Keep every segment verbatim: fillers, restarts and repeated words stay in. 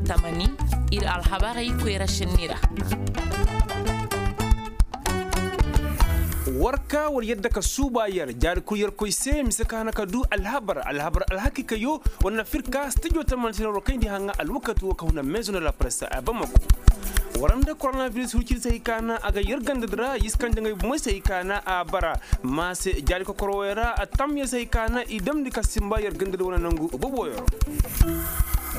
Tamani, ir alhabarey koyra šenni ra. War ka war yadda ka suuba yer jaari kul yerkoy se mise ka hana ka du alhabar alhabar alhakiikayo. War na fir ka stijo tamani se na war kayndi haŋa alwakati wo ka huna maison de la presse a bamako. War nda koronabiris hurciri se hay ka na a ga yer ganda di ra yiskanjaŋey bumey se hay ka na a bara. Ma se jaari kokoro wey ra a tam yer se hay ka na i damndi ka simba yer ganda di wane nangu boboyo ra.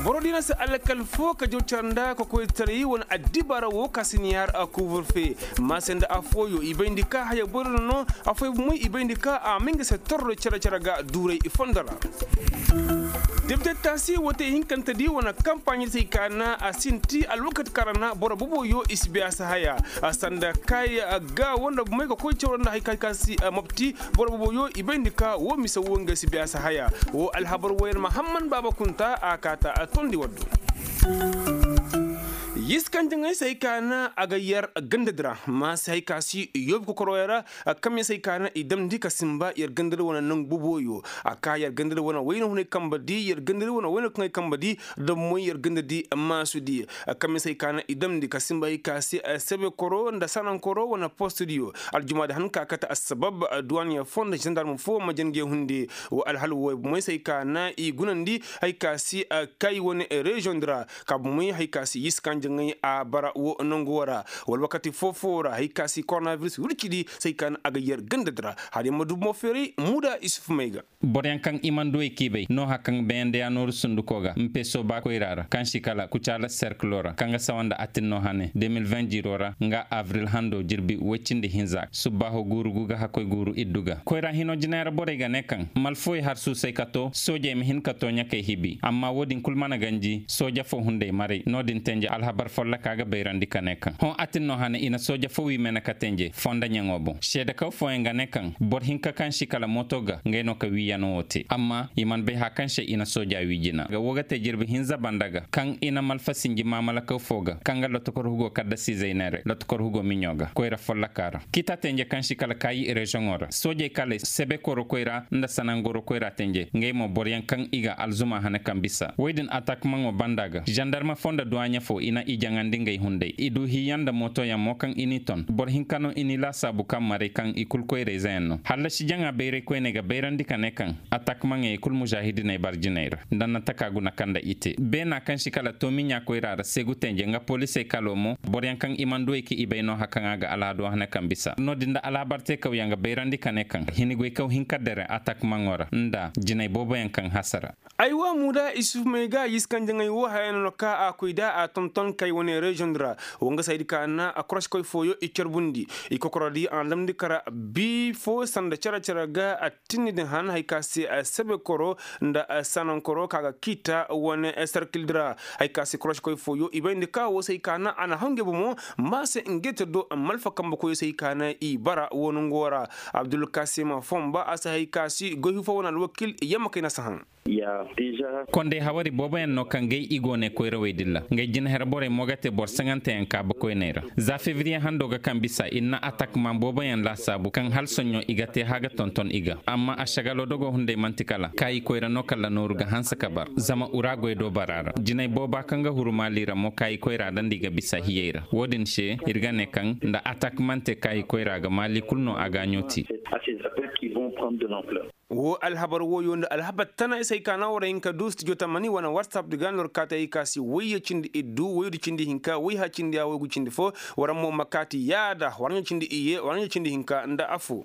Boro di na se alakal fo ka jaw care nda ka koy taray wane addibaara wo ka si ni yaar a kuuburfe. Ma se nda afooyo i bayndi ka haya boro no afooyo bumey i bayndi ka a ma nga se torro care care ga duuray i fondo ra. Debite taasi wote hinkante di wane kampaaɲe se hay ka na a sinti alwakati kaŋ ra na boro boboyo i si biya si haya. Sanda kaaya ga wanda bumey ka koy care nda hay ka si mopti. Boro boboyo i bayndi ka wo mise wo nga si biya si haya. Wo alhabar wo yer mahamman baaba kunta a kaata a tondi waddo. Yiskanjaŋey se hay ka na a ga yer ganda di ra ma se hay ka si yoobi kokoroyo ra. Kamyaŋ se hay ka na i damndi ka simba yer ganda di wane nangu boboyo. A ka yer ganda di wane wayna hunay kamba di yer ganda di wane wayna kaŋay kamba di. Da moy yer ganda di maasu di. Kamyaŋ se hay ka na i damndi ka simba hay ka si sebekoro nda sanankoro wane post diyo. Aljumaa di han ka kate assabab duwaaniya fo nda zandarm fo ma jange hunde. Wa alhal wo moy se hay ka na i gunandi hay ka si kay wane reziyoŋ di ra. Ka bumey hay ka si yiskanjaŋey a bara wo nangu wo ra. Wala wakati foo-foo ra hay ka si koronabiris wirci di se hay ka na a ga yer ganda di ra. Hala yaŋ ma du bumo feeray muuda isuf may ga. Boroyaŋ kaŋ i mana du ay k'i bay nooha kaŋ bayandi ya nooru sunduko ga mpe sooba koyra ra kaŋ si kala kucaala serkilo ra kaŋ ga sawa nda atinno hane de mil vin jiiro ra nga abril hando jirbi woy cindi hinza subbaaho guuru gu ga hakkoy guuru iddu ga koyra hino jinay ra borey ga ne kaŋ malfooy har suusay ka to soojey ma hin ka to ɲakey hibi amma wo-din kul mana ganji sooja fo hunday maray no-din tenje alhabar folloka ga bayrandi ka ne kaŋ hõ atinno hane i na sooja fo wii mene ka tenje fonda ɲaŋo boŋ seedekaw fooyaŋ ga ne kaŋ boro hinka kaŋ si kala mooto ga ngey no ka wiiyano wo te amma i mana bay haa kaŋ se i na sooja wii jina ga wo ga te jirbi hinza banda ga kaŋ i na malfa sinji maamalakaw fo ga kaŋ ga lotokor hugo kaddasiizey neeray lotokor hugo miɲo ga koyra folloka ra kita tenje kaŋ si kala kaayi reziyoŋo ra soojey kaley sebekoro koyra nda sanangoro koyra tenje ngey mo boroyaŋ kaŋ i ga alzuma hane kaŋ bisa woy din atakmaŋo banda ga zandarma fo nda duwaaɲa fo i na i jaŋandi ngey hunday i du hiiyaŋ nda mootoyaŋ mo kaŋ i n'i ton boro hinka no i n'i laasaabu kaŋ maray kaŋ i kul koyra-izeyaŋ no hallasi jaŋa bayray koyney ga bayrandi ka ne kaŋ atakmaŋey kul mužahidiney bar jinay ra nda na taka guna kaŋ nda i te beena kaŋ si kala toomiɲa koyra ra seegu tenje nga polisey kalo mo boroyaŋ kaŋ i mana duwey ka i bay no hakaŋ a ga alhado hane kaŋ bisa no-din nda alhabar teekawyaŋ ga bayrandi ka ne kaŋ hinigoykaw hinka dere atakmaŋo ra nda jinay booboyaŋ kaŋ hasara. Aywa muuda isuf may ga yiskanjaŋey wo haya no na ka a koy da a tonton kay wane reziyoŋ di ra wo nga saydi ka na a koroskoy fooyo i carbundi i kokorodi a na damndi kara bii fo sanda care care ga a tinni din han hay ka se sebekoro nda sanankoro ka ga kiita wane serkil di ra hay ka se koroskoy fooyo i bayndi ka wo se hay ka na a na haw ngey bomo ma se ngey te do malfa kambe koyo se hay ka na i bara wo nongo ra abdulkasim fomba a se hay ka se goy hifo wane alwakil yamma kay na si haŋ. Kondey hawari booboyaŋ no kaŋ gay i go ne koyrawey din ra ngey jinaher borey mo ga te boro saŋanteyaŋ kaabakoyney ra za febriye hando ga kaŋ bisa i na atakman booboyaŋ laasaabu kaŋ hala soɲõ i ga te hã ga tonton i ga amma ašagalo dogo hunday man'ti kala kaayi koyra no kala nooru ga hanse ka bar zama ura goy do bara ra jinay booba kaŋ ga huru maali ra mo kaayi koyra dandi ga bisa hiyey ra wo-din se ir ga ne kaŋ nda atakmante kaayi koyra ga maali kul no a gaaɲo te. Wo alhabar woyo nda alhabar tana isey ka na war hinka du studio tamani wane whatsapp di ga nor kaate ay ka si wayye cindi iddu waydu cindi hinka wayha cindi ya waygu cindi fo. War mo ma kaati yaada war ɲa cindi iyye war ɲa cindi hinka nda afo.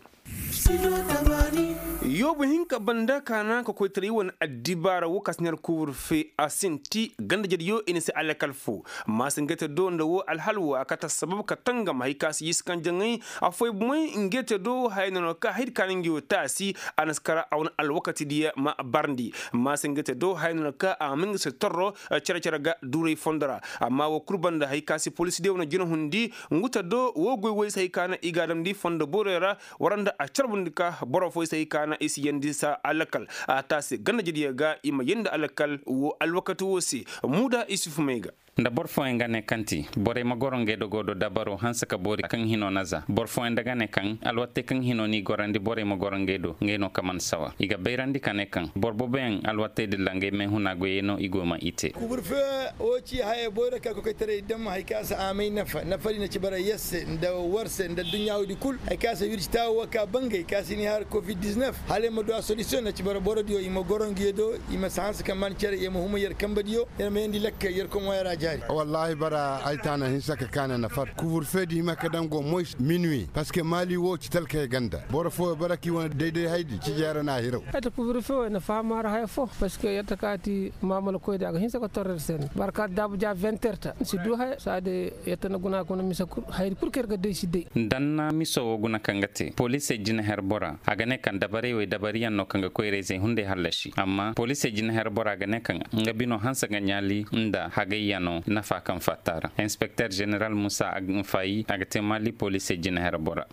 Yoobu hinka banda ka na ka koytaray wane addibaara wo ka si ner kuur fe a sinti ganda jadiyo i na se alakal fo. Maasa ngete do nda wo alhal wo a kata sabab ka tangam hay ka si yiskan jaŋay. Afoy bumay ngete do haya no ka haydi ka na ngi wo taasi. A na si kara a wane alwakati diya ma barndi. Maasa ngete do haya no ka a ma ngi se torro cere cere ga duuray fondo ra. Amma wo kul banda hay ka si polis diya wane jina hundi. Nguta do wo goy woy se hay ka na i ga a damndi fondo borey ra. Waranda a carbundi ka boro foy se hay ka na i si yandi sa alakal a taasi ganda jadiya ga i ma yandi alakal wo alwakati wo se. Muda isuf may ga. Nda boro fooyaŋ ga ne kaŋ ti borey ma goro ngey do go do dabaro hanse ka boori kaŋ hino na za boro fooyaŋ nda ga ne kaŋ alwattey kaŋ hino n'i gorandi borey ma goro ngey do ngey no ka man sawa i ga bayrandi ka ne kaŋ boro boboyaŋ alwattey dilla ngey meehuna goyey no i go ma i te. Kuburfe wo ci haya boyro ka kokoytaray dam hari kaŋ a si a may nafa nafa di na ci bara yer se nda war se nda adduɲɲa woodi kul hari kaŋ a si wirci taawo wo ka bangay kaŋ a si ni har covid-19 hala ay ma du a solisiyoŋ na ci bara boro diyo i ma goro ngey do i ma si hanse ka man cere i ma huma yer kambe diyo yer ma yeendi lakkal yer komo yer a jaari. Wallaahi bara ay taana hinsa ka kaana nafar kuburfe di hima ka daŋ go moy minuwi parceque maali wo ci talkey ganda boro fooyo bara k'i wane dayday haydi ci jeera n'a hiraw. Ay ta kuburfe wo ay na faham a ra haya fo parceque yer ta kaati maamala koydi a ga hinsa ka torrer se no bara kaati daabu ja vingt heures ta si du haya saadi yer ta na guna kuna misa kul haydi kul kaŋ yer ga day si day. Danna miso wo guna kaŋ ga te poliisey jina her bora a ga ne kaŋ dabarey wey dabariyaŋ no kaŋ ga koyra-izey hunday hallasi amma poliisey jina her bora ga ne kaŋ nga bino hanse ga ɲaali nda hagayyaŋo nafa kaŋ fatta ra inspekter ženeral muusa agfayi a ga te maali poliisey jina her bora.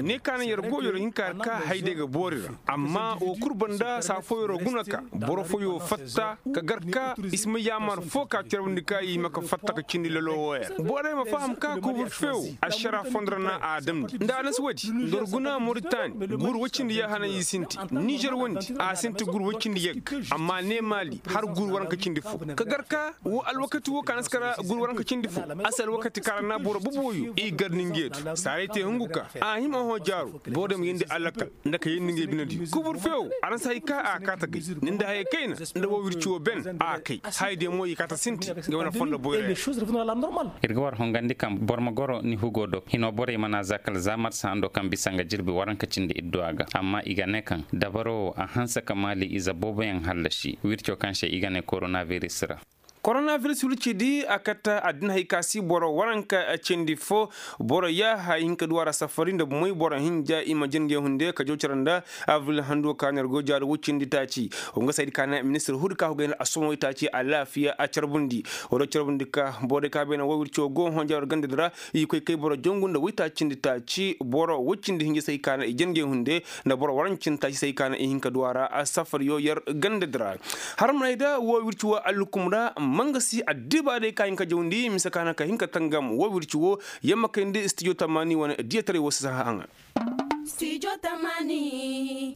Ne ka naŋ yer go yer hin ka yer ka hayday ga boori ra amma wo kul banda saa fooyo ra guna ka boro fooyo fatta ka gar ka i si ma yaamar fo ka carbundi ka i hima ka fatta ka cindi lalo wooya ra borey ma faham ka kuburfe wo ašara fondora na a damndi nda a na si woodi nda war guna moritani guuru woy cindi yahana i sinti nizer wondi a sinti guuru woy cindi yagga amma ne maali har guuru waranka cindi fo ka gar ka wo alwakati wo ka na si kara guuru waranka cindi fo a si alwakati kaŋ ra na boro boboyo i gar ni ngey do saaray te hungu ka a hima hõ jaaro boro day ma yeendi alakal nda ka yeendi ngey binediyo kubur feewo a na si hay ka a kaata gay ni nda hayey kayna nda woo wirci woo ben a kay hayey diyo mo i kaata sinti ngey wane fondo boyra yaŋ. Ir ga war hongandi kaŋ boro ma goro ni hugo do hinoo borey mana za kala za marsa hando kaŋ bisa nga jirbi waranka cindi idduwa ga amma i ga ne kaŋ dabaro wo a hanse ka maali ize booboyaŋ hallasi wirco kaŋ se i ga ne koronabiris ra. Koronabiris wirci di a katta addina hay ka si boro waranka cindi fo boro yaaha i hin ka duwa ra safari nda moy boro hinja i ma jingey hunde ka jaw cere nda abril handu ka ner go jaari woy cindi taaci. Wo nga saydi ka na ministir huudi ka go gay nda assomo woy taaci alaafiya a carbundi. Wala carbundi ka borey ka bay na woy wirci wo go honja war ganda di ra i koy kay boro jangu nda woy taaci cindi taaci boro woy cindi hinja say ka na i jingey hunde nda boro waranka cindi taaci say ka na i hin ka duwa ra safariyo yer ganda di ra. Har manay da woo wirci woo allukum ra mangasi addibaarey ka hin ka jawndi mise ka na ka hin ka tangam woo wirci woo yamma kayndi stijo tamaani wane diyataray woo si saha haŋa.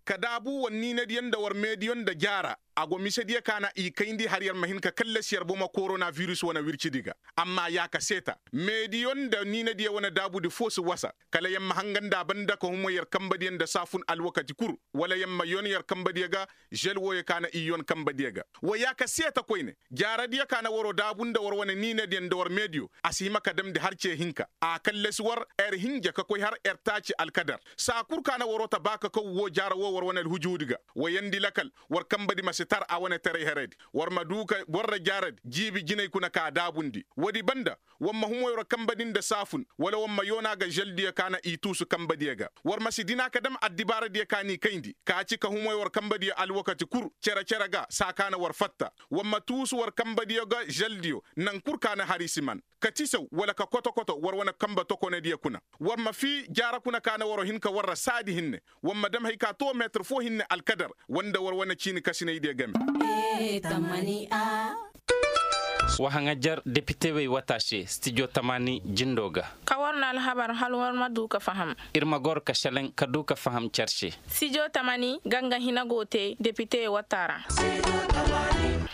Ka daabu war niinadiyo nda war meediyo nda jaara a go misediyo ka na i kayndi har yer ma hin ka kallasi yer bomo koronabiris wane wircidi ga. Amma yaa ka seeta meediyo nda niinadiyo wane daabudi foo si wasa kala yer ma hanga nda a banda ka humo yer kambadiyo nda saafun alwakati kul wala yer ma yon yer kambadiyo ga. Žel wooyo ka na i yon kambadiyo ga wa yaa ka seeta koyne jaaradiyo ka na waroo daabu nda war wane niinadiyo nda war meediyo a si hima ka damndi har cee hinka a kallasi war er hinja ka koy har er taaci alkadar saa kul ka na waroo ta baa ka kaw woo jaara woo war wane alhujuudi ga wa yeendi lakal war kambadi ma si tar a wane taray heredi war ma duu ka war ra jaaradi jiibi jinay kuna ka daabundi woodi banda war ma humo yer kambadi nda saafun wala war ma yoona ga želdiyo ka na i tuusu kambadiyo ga war ma si dina ka dam addibaaradiyo ka n'i kayndi ka ci ka humo yer kambadiyo alwakati kul cere-cere ga saa ka na war fatta war ma tuusu war kambadiyo ga želdiyo naŋ kul ka na har i si man ka tisaw wala ka koto-koto war wane kambe tokonediyo kuna war ma fii jaara kuna ka na waroo hin ka war ra saadi hinne war ma dam hay ka too meetir foo hinne alkadar war nda war wane ciini kasinaydiyo game. Wa haŋajer depitewey wata se stijo tamaani jindo ga. Ka war na alhabar hal war ma du ka faham. Ir ma goro ka šelaŋ ka du ka faham cer se. Stijo tamaani ga nga hina go te depitewey wata ra.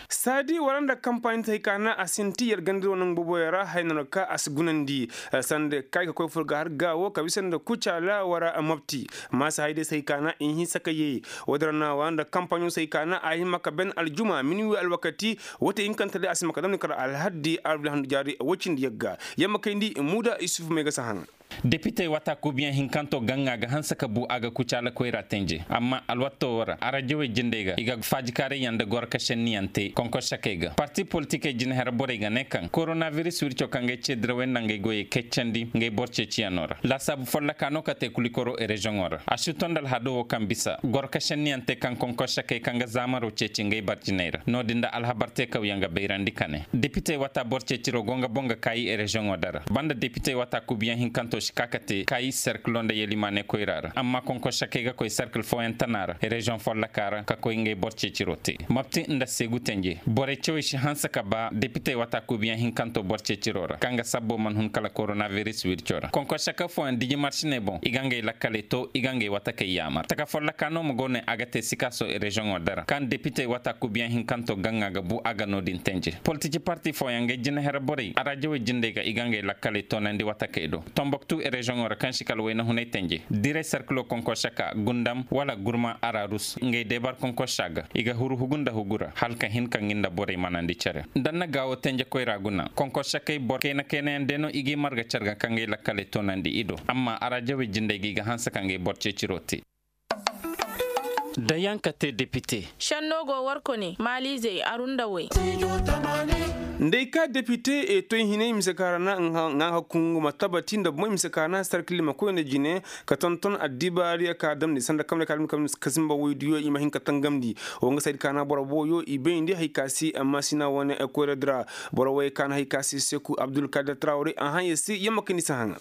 Saadi wara nda kampaaɲi te hay ka na a sinti yer ganda wane boboyo ra hay no na ka a si gunandi. Sanda kay ka koy fur ga har gaawo ka bisa nda kucaala wara mopti. Maasa hay day se hay ka na i hinsa ka yee. Woodi ra na wa nda kampaaɲo se hay ka na a hima ka ben aljuma minuwi alwakati. Wate hinkante day a si ma ka damni kar alhaddi alwila handu jaari woy cindi yagga. Yamma kayndi muuda isufu may ga si haŋ. Depitey wata kuubiyaŋ hinkanto gaŋa ga hanse ka bu a ga kucaala koyra tenje amma alwatto wo ra arajawey jindey ga i ga faajikaarayyaŋ nda goro ka šenniyaŋ te konkorsakey ga parti politikey jinahera borey ga ne kaŋ koronabiris wirco kaŋ ga ay ce dirawey nda ngey goyey keccandi ngey boro ceeciyaŋo ra laasaabu folloka no ka te kulikoro reziyoŋo ra a si to nda alhado wo kaŋ bisa goro ka šenniyaŋ te kaŋ konkorsakey kaŋ ga zaamaro ceeci ngey barjiney ra no-din nda alhabar teekawyaŋ ga bayrandi ka ne depitey wata boro ceeciro go nga boŋ ga kaayi reziyoŋo dara banda depitey wata kuubiyaŋ hinkanto. Si ka ka te kaayi serkilo nda yelimaaney koyra ra amma konkorsakey ga koy serkil fooyaŋ tana ra reziyoŋ folloka ra ka koy ngey boro ceeciro te mapti nda seegu tenje borey cawey si hanse ka ba depitey wata kuubiyaŋ hinkanto boro ceeciro ra kaŋ ga sabbo man hun kala koronabiris wirco ra konkorsaka fooyaŋ diji marsiney boŋ i ga ngey lakkaley to i ga ngey watakey yaamar taka folloka no ma go ne a ga te sikaaso reziyoŋo dara kaŋ depitey wata kuubiyaŋ hinkanto gaŋa ga bu a ga no-din tenje politiki parti fooyaŋ ngey jinahere borey araajawey jindey ga i ga ngey lakkaley toonandi watakey do tomboktu reziyoŋo ra kaŋ si kala wayna hunay tenje diray sarkilo konkorsaka gundam wala gurma ararus ngey debar konkorsa ga i ga huru hugu nda hugu ra hala ka hin ka ngi nda borey manandi cere nda na gaawo tenje koyra guna konkorsakey boro kayna kaynayaŋ day no i g'i marga carga ka ngey lakkaley toonandi i do amma araajawey jindey ga i ga hanse ka ngey boro ceeciro te da yaŋ ka te depite šenno go war kone maaliizey aru nda way nda ay ka depite e toy hinay mise ka ra na ŋa hakkungu ma tabati nda bomoy mise ka ra na sarkili ma koy nda jine ka tonton addibaari a ka damndi sanda kamre ka damndi ka sinba woydiyo i ma hin ka tangamndi wo nga saydi ka na boro boyo i bayndi hay ka se amma sina wane koyra dira boro way ka na hay ka se seku abdulkadir trawre a haŋ ya se yamma ka ni si haŋa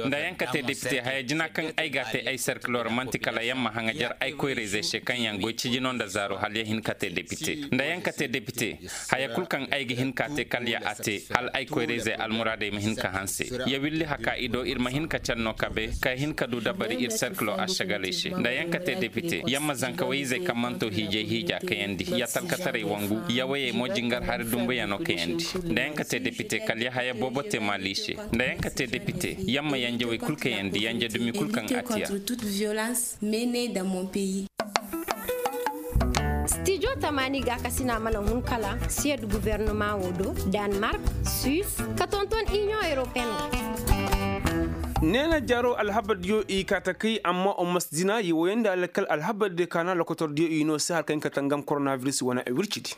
nda yaŋ ka te depite haya jina kaŋ ay ga a te ay serkilo ra man'ti kala yaŋ ma haŋajer ay koyrayzey se kaŋ yaŋ goy cijino nda zaaro hala ya hin ka te depite nda yaŋ ka te depite haya kul kaŋ ay ga hin ka te kala ya a te hala ay koyrayzey almuraadey ma hin ka hanse ya willi haka i do ir ma hin ka canno kabe ka hin ka du dabari ir serkilo ašagaley se nda yaŋ ka te depite yaŋ ma zanka wayizey kaŋ manto hiijay hiija kayandi ya talkataray wangu ya wayey mo jingar hari dumbuyaŋo kayandi nda yaŋ ka te depite kala ya haya boobo te maali se nda yaŋ ka te depite yaŋ ma yanje way kul kayandi yanje dumi kul kaŋ a tiya stijo tamaani gaakasina mana hun kala siyad guvernomaŋo do, danmark, suis, ka tonton iniyoŋ europeen. Neena jaro alhabardiyo i kaata kay amma o mas dina ye woyandi alkal alhabardiyo kaana lokotordiyo i no se har kaŋ ka tangam koronabiris wane wircidi.